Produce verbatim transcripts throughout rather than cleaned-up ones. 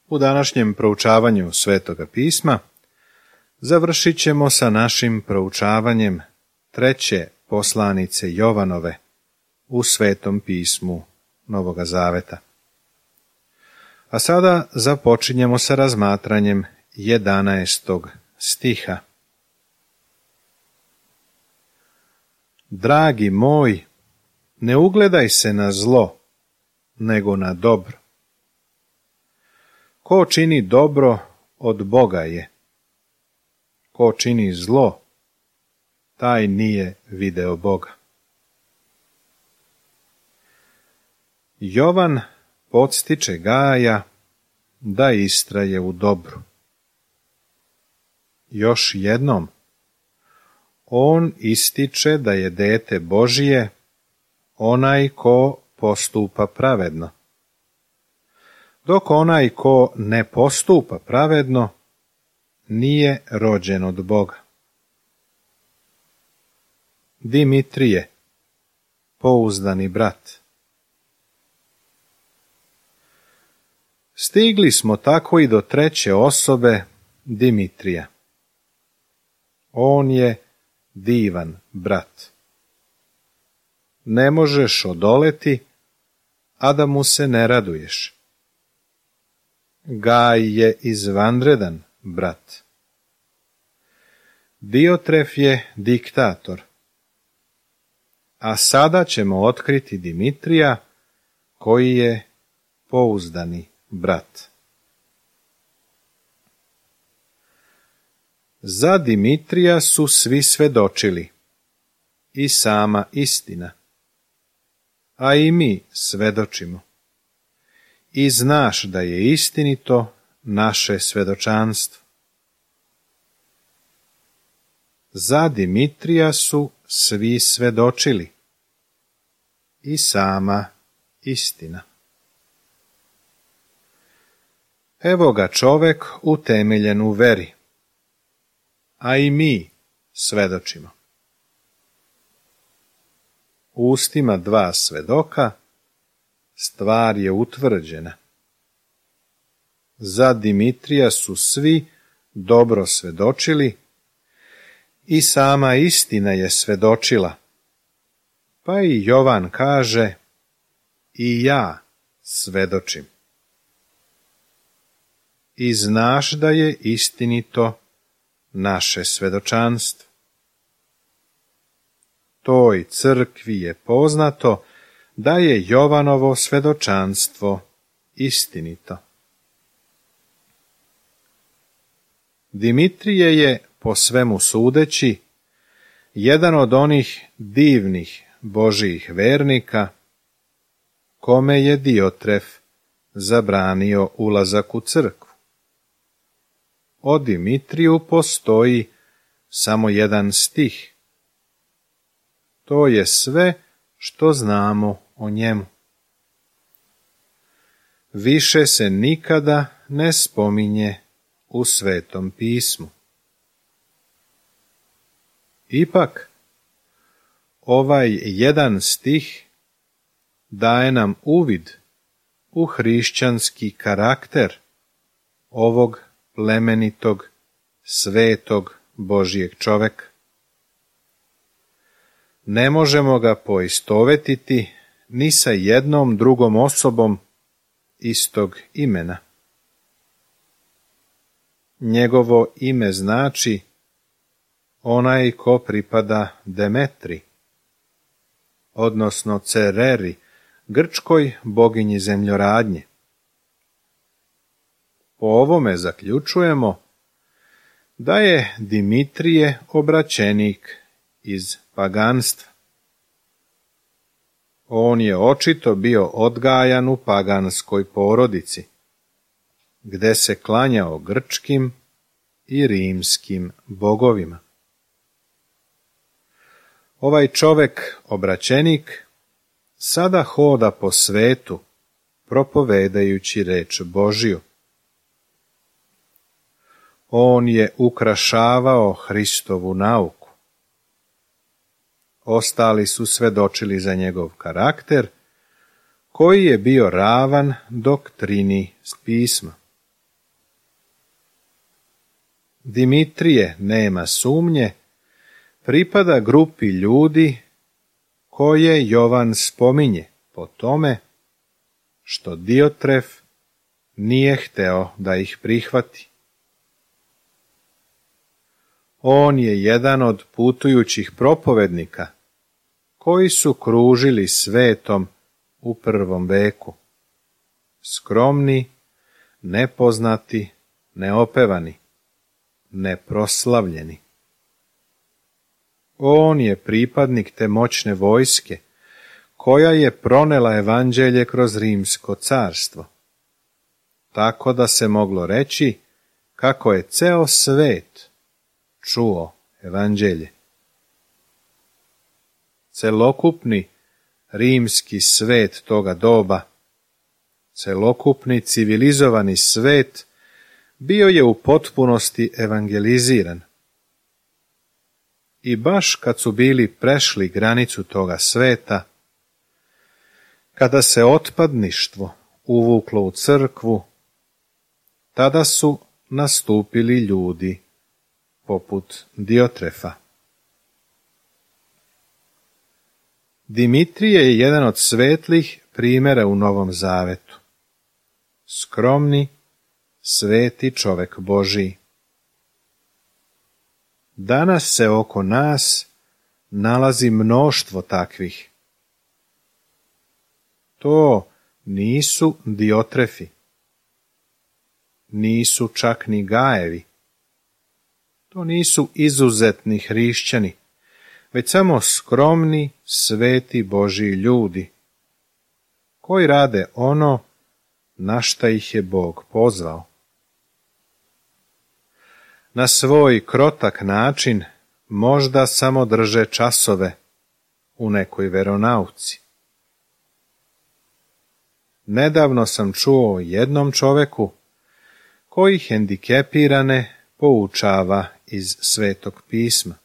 U današnjem proučavanju Svetoga pisma završit ćemo sa našim proučavanjem treće poslanice Jovanove u Svetom pismu Novoga Zaveta. A sada započinjemo sa razmatranjem jedanaestog stiha. Dragi moj, ne ugledaj se na zlo, nego na dobro. Ko čini dobro, od Boga je. Ko čini zlo, taj nije video Boga. Jovan podstiče Gaja da istraje u dobru. Još jednom, on ističe da je dete Božije onaj ko postupa pravedno, dok onaj ko ne postupa pravedno nije rođen od Boga. Dimitrije, pouzdani brat. Stigli smo tako i do treće osobe Dimitrija. On je divan brat. Ne možeš odoleti, a da mu se ne raduješ. Gaj je izvanredan brat. Diotref je diktator. A sada ćemo otkriti Dimitrija, koji je pouzdani brat. Za Dimitrija su svi svedočili, i sama istina. A i mi svedočimo. I znaš da je istinito naše svedočanstvo. Za Dimitrija su svi svedočili, i sama istina. Evo ga čovek utemeljen u veri, a i mi svedočimo. Ustima dva svedoka stvar je utvrđena. Za Dimitrija su svi dobro svedočili, i sama istina je svedočila. Pa i Jovan kaže, i ja svedočim. I znaš da je istinito naše svedočanstvo. Toj crkvi je poznato da je Jovanovo svedočanstvo istinito. Dimitrije je, po svemu sudeći, jedan od onih divnih Božijih vernika, kome je Diotref zabranio ulazak u crkvu. O Dimitriju postoji samo jedan stih. To je sve što znamo o njemu. Više se nikada ne spominje u Svetom pismu. Ipak, ovaj jedan stih daje nam uvid u hrišćanski karakter ovog plemenitog, svetog Božijeg čoveka. Ne možemo ga poistovetiti ni sa jednom drugom osobom istog imena. Njegovo ime znači onaj ko pripada Demetri, odnosno Cereri, grčkoj boginji zemljoradnje. Po ovome zaključujemo da je Dimitrije obraćenik iz paganstva. On je očito bio odgajan u paganskoj porodici, gde se klanjao grčkim i rimskim bogovima. Ovaj čovek, obraćenik, sada hoda po svetu, propovedajući reč Božiju. On je ukrašavao Hristovu nauku. Ostali su svedočili za njegov karakter, koji je bio ravan doktrini pisma. Dimitrije, nema sumnje, pripada grupi ljudi koje Jovan spominje po tome što Diotref nije hteo da ih prihvati. On je jedan od putujućih propovednika koji su kružili svetom u prvom veku. Skromni, nepoznati, neopevani, neproslavljeni. On je pripadnik te moćne vojske koja je pronela evanđelje kroz Rimsko carstvo, tako da se moglo reći kako je ceo svet čuo evanđelje. Celokupni rimski svet toga doba, celokupni civilizovani svet bio je u potpunosti evangeliziran. I baš kad su bili prešli granicu toga sveta, kada se otpadništvo uvuklo u crkvu, tada su nastupili ljudi poput Diotrefa. Dimitrije je jedan od svetlih primjera u Novom Zavetu. Skromni, sveti čovek Božiji. Danas se oko nas nalazi mnoštvo takvih. To nisu Diotrefi, nisu čak ni Gajevi, to nisu izuzetni hrišćani, već samo skromni, sveti Božji ljudi, koji rade ono na šta ih je Bog pozvao. Na svoj krotak način možda samo drže časove u nekoj veronauci. Nedavno sam čuo o jednom čoveku koji hendikepirane poučava iz Svetog pisma.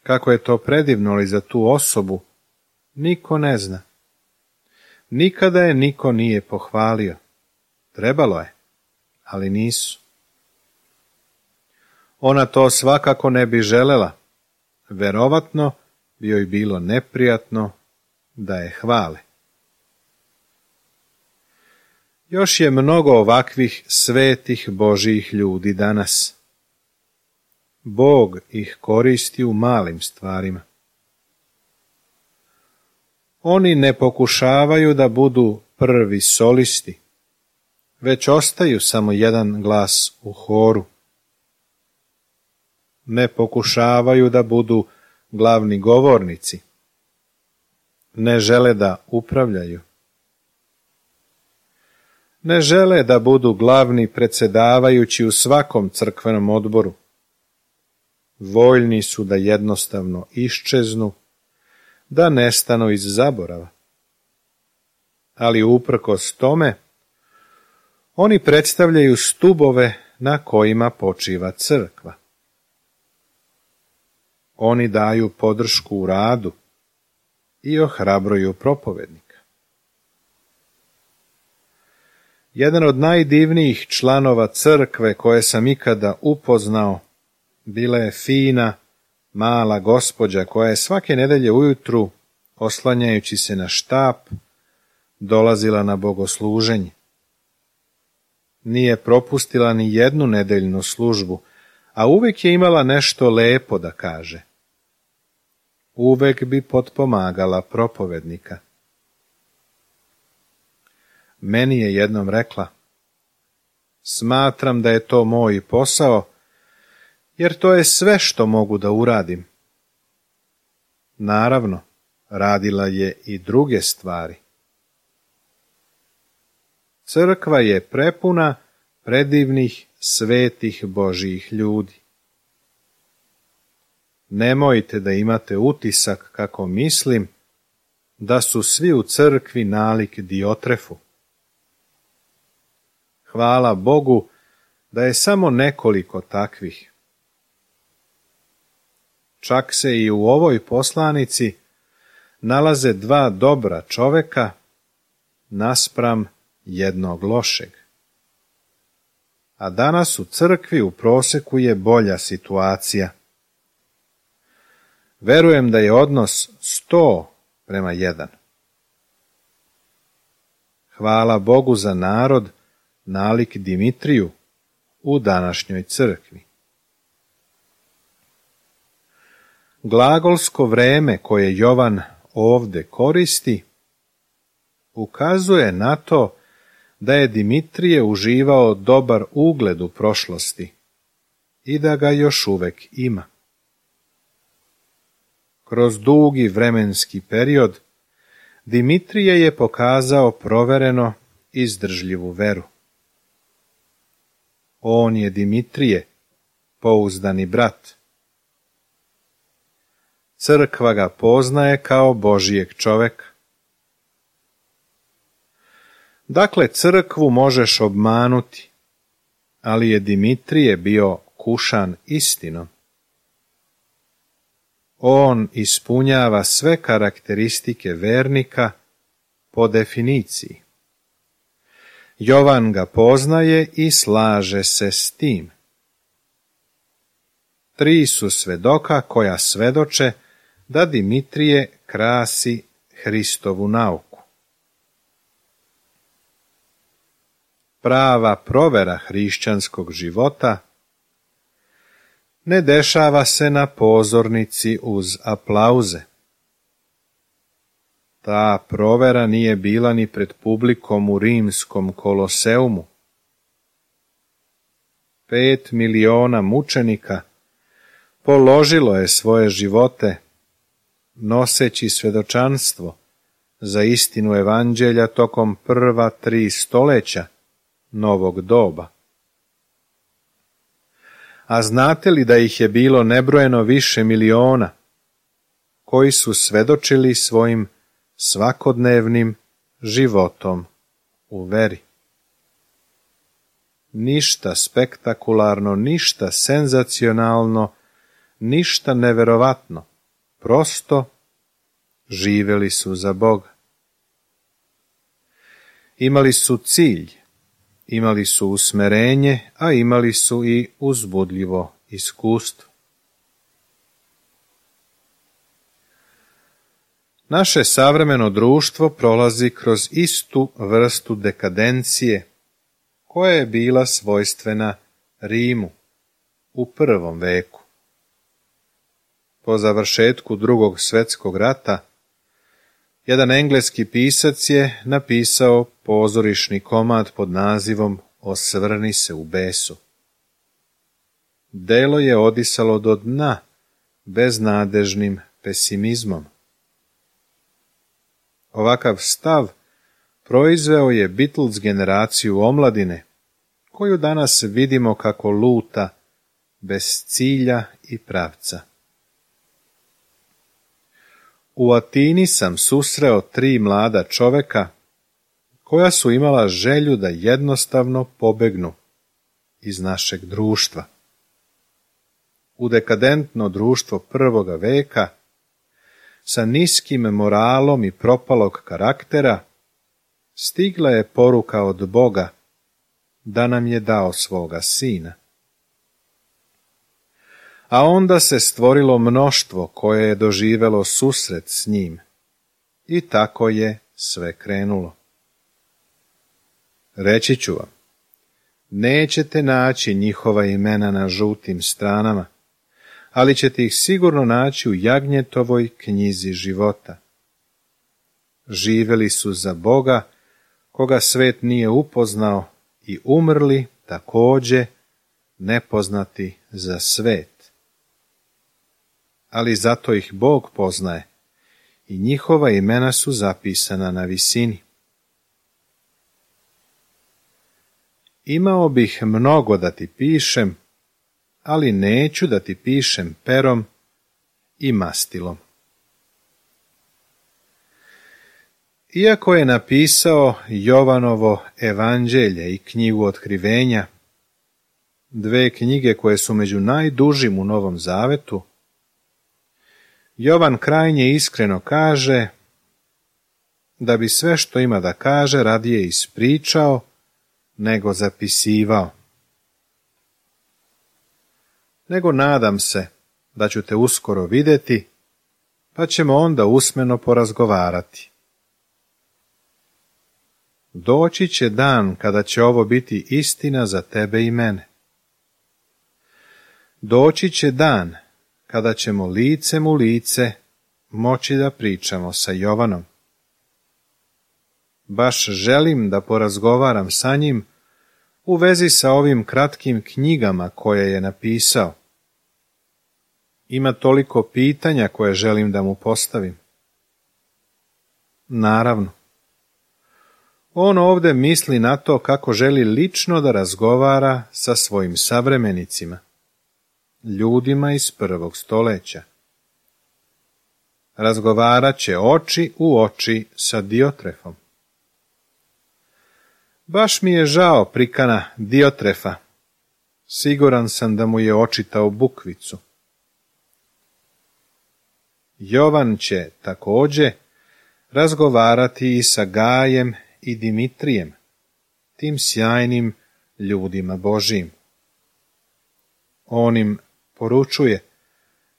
Kako je to predivno li za tu osobu, niko ne zna. Nikada je niko nije pohvalio. Trebalo je, ali nisu. Ona to svakako ne bi želela. Verovatno bi joj bilo neprijatno da je hvale. Još je mnogo ovakvih svetih Božjih ljudi danas. Bog ih koristi u malim stvarima. Oni ne pokušavaju da budu prvi solisti, već ostaju samo jedan glas u horu. Ne pokušavaju da budu glavni govornici. Ne žele da upravljaju. Ne žele da budu glavni predsjedavajući u svakom crkvenom odboru. Voljni su da jednostavno iščeznu, da nestanu iz zaborava. Ali uprkos tome, oni predstavljaju stubove na kojima počiva crkva. Oni daju podršku u radu i ohrabruju propovednika. Jedan od najdivnijih članova crkve koje sam ikada upoznao bila je fina, mala gospođa koja je svake nedelje ujutru, oslanjajući se na štap, dolazila na bogosluženje. Nije propustila ni jednu nedeljnu službu, a uvek je imala nešto lepo da kaže. Uvek bi potpomagala propovednika. Meni je jednom rekla: smatram da je to moj posao, jer to je sve što mogu da uradim. Naravno, radila je i druge stvari. Crkva je prepuna predivnih, svetih Božjih ljudi. Nemojte da imate utisak kako mislim da su svi u crkvi nalik Diotrefu. Hvala Bogu da je samo nekoliko takvih. Čak se i u ovoj poslanici nalaze dva dobra čoveka naspram jednog lošeg. a danas u crkvi u prosjeku je bolja situacija. Verujem da je odnos sto prema jedan. Hvala Bogu za narod nalik Dimitriju u današnjoj crkvi. Glagolsko vreme koje Jovan ovdje koristi ukazuje na to da je Dimitrije uživao dobar ugled u prošlosti i da ga još uvek ima. Kroz dugi vremenski period Dimitrije je pokazao provereno izdržljivu veru. On je Dimitrije, pouzdani brat. Crkva ga poznaje kao Božijeg čoveka. Dakle, crkvu možeš obmanuti, ali je Dimitrije bio kušan istinom. On ispunjava sve karakteristike vernika po definiciji. Jovan ga poznaje i slaže se s tim. Tri su svedoka koja svedoče da Dimitrije krasi Hristovu nauku. Prava provera hrišćanskog života ne dešava se na pozornici uz aplauze. Ta provera nije bila ni pred publikom u rimskom koloseumu. Pet miliona mučenika položilo je svoje živote noseći svedočanstvo za istinu evanđelja tokom prva tri stoljeća novog doba. A znate li da ih je bilo nebrojeno više miliona koji su svedočili svojim svakodnevnim životom u veri? Ništa spektakularno, ništa senzacionalno, ništa neverovatno, prosto živjeli su za Boga. Imali su cilj, imali su usmerenje, a imali su i uzbudljivo iskustvo. Naše savremeno društvo prolazi kroz istu vrstu dekadencije koja je bila svojstvena Rimu u prvom veku. Po završetku drugog svjetskog rata, jedan engleski pisac je napisao pozorišni komad pod nazivom Osvrni se u besu. Delo je odisalo do dna beznadežnim pesimizmom. Ovakav stav proizveo je Beatles generaciju omladine, koju danas vidimo kako luta bez cilja i pravca. U Atini sam susreo tri mlada čoveka koja su imala želju da jednostavno pobegnu iz našeg društva. U dekadentno društvo prvoga veka, sa niskim moralom i propalog karaktera, stigla je poruka od Boga da nam je dao svoga sina. A onda se stvorilo mnoštvo koje je doživelo susret s njim i tako je sve krenulo. Reći ću vam, nećete naći njihova imena na žutim stranama, ali ćete ih sigurno naći u Jagnjetovoj knjizi života. Živjeli su za Boga, koga svet nije upoznao, i umrli također nepoznati za svet. Ali zato ih Bog poznaje i njihova imena su zapisana na visini. Imao bih mnogo da ti pišem, ali neću da ti pišem perom i mastilom. Iako je napisao Jovanovo evanđelje i knjigu Otkrivenja, dve knjige koje su među najdužim u Novom Zavetu, Jovan krajnje iskreno kaže da bi sve što ima da kaže radije ispričao nego zapisivao. nego nadam se da ću te uskoro vidjeti, pa ćemo onda usmeno porazgovarati. Doći će dan kada će ovo biti istina za tebe i mene. Doći će dan kada ćemo licem u lice moći da pričamo sa Jovanom. Baš želim da porazgovaram sa njim u vezi sa ovim kratkim knjigama koje je napisao. Ima toliko pitanja koje želim da mu postavim. Naravno, on ovdje misli na to kako želi lično da razgovara sa svojim savremenicima, ljudima iz prvog stoljeća. Razgovarat će oči u oči sa Diotrefom. Baš mi je žao prikana Diotrefa. Siguran sam da mu je očitao bukvicu. Jovan će također razgovarati i sa Gajem i Dimitrijem, tim sjajnim ljudima Božijim. On im poručuje,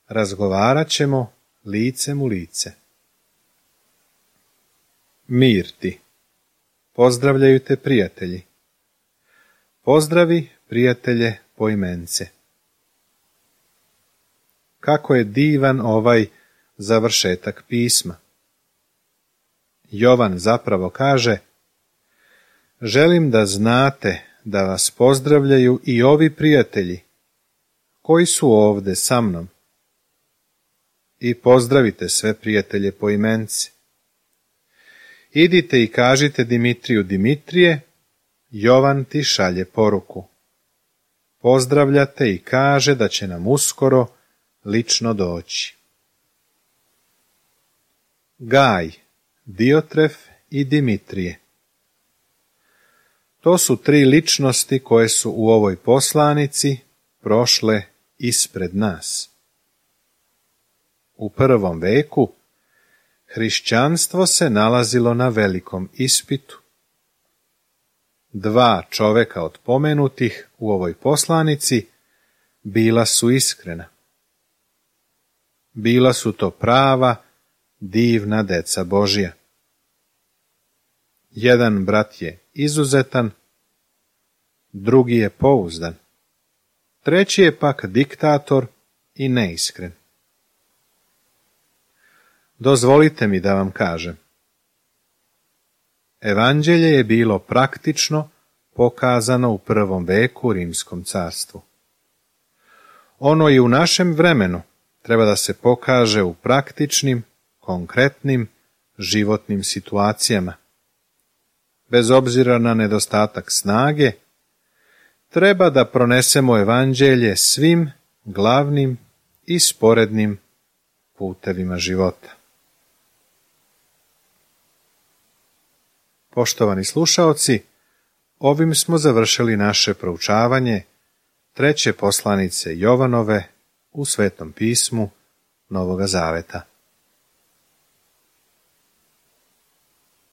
razgovarat ćemo licem u lice. Mir ti. Pozdravljaju te prijatelji. Pozdravi prijatelje poimence. Kako je divan ovaj završetak pisma. Jovan zapravo kaže, želim da znate da vas pozdravljaju i ovi prijatelji koji su ovdje sa mnom. I pozdravite sve prijatelje poimence. Idite i kažite Dimitriju, Dimitrije, Jovan ti šalje poruku. Pozdravljate i kaže da će nam uskoro lično doći. Gaj, Diotref i Dimitrije. To su tri ličnosti koje su u ovoj poslanici prošle ispred nas. U prvom veku hrišćanstvo se nalazilo na velikom ispitu. Dva čoveka od pomenutih u ovoj poslanici bila su iskrena. Bila su to prava, divna deca Božja. Jedan brat je izuzetan, drugi je pouzdan, treći je pak diktator i neiskren. Dozvolite mi da vam kažem. Evanđelje je bilo praktično pokazano u prvom veku u Rimskom carstvu. Ono i u našem vremenu treba da se pokaže u praktičnim, konkretnim, životnim situacijama. Bez obzira na nedostatak snage, treba da pronesemo evanđelje svim glavnim i sporednim putevima života. Poštovani slušaoci, ovim smo završili naše proučavanje treće poslanice Jovanove u Svetom pismu Novoga Zaveta.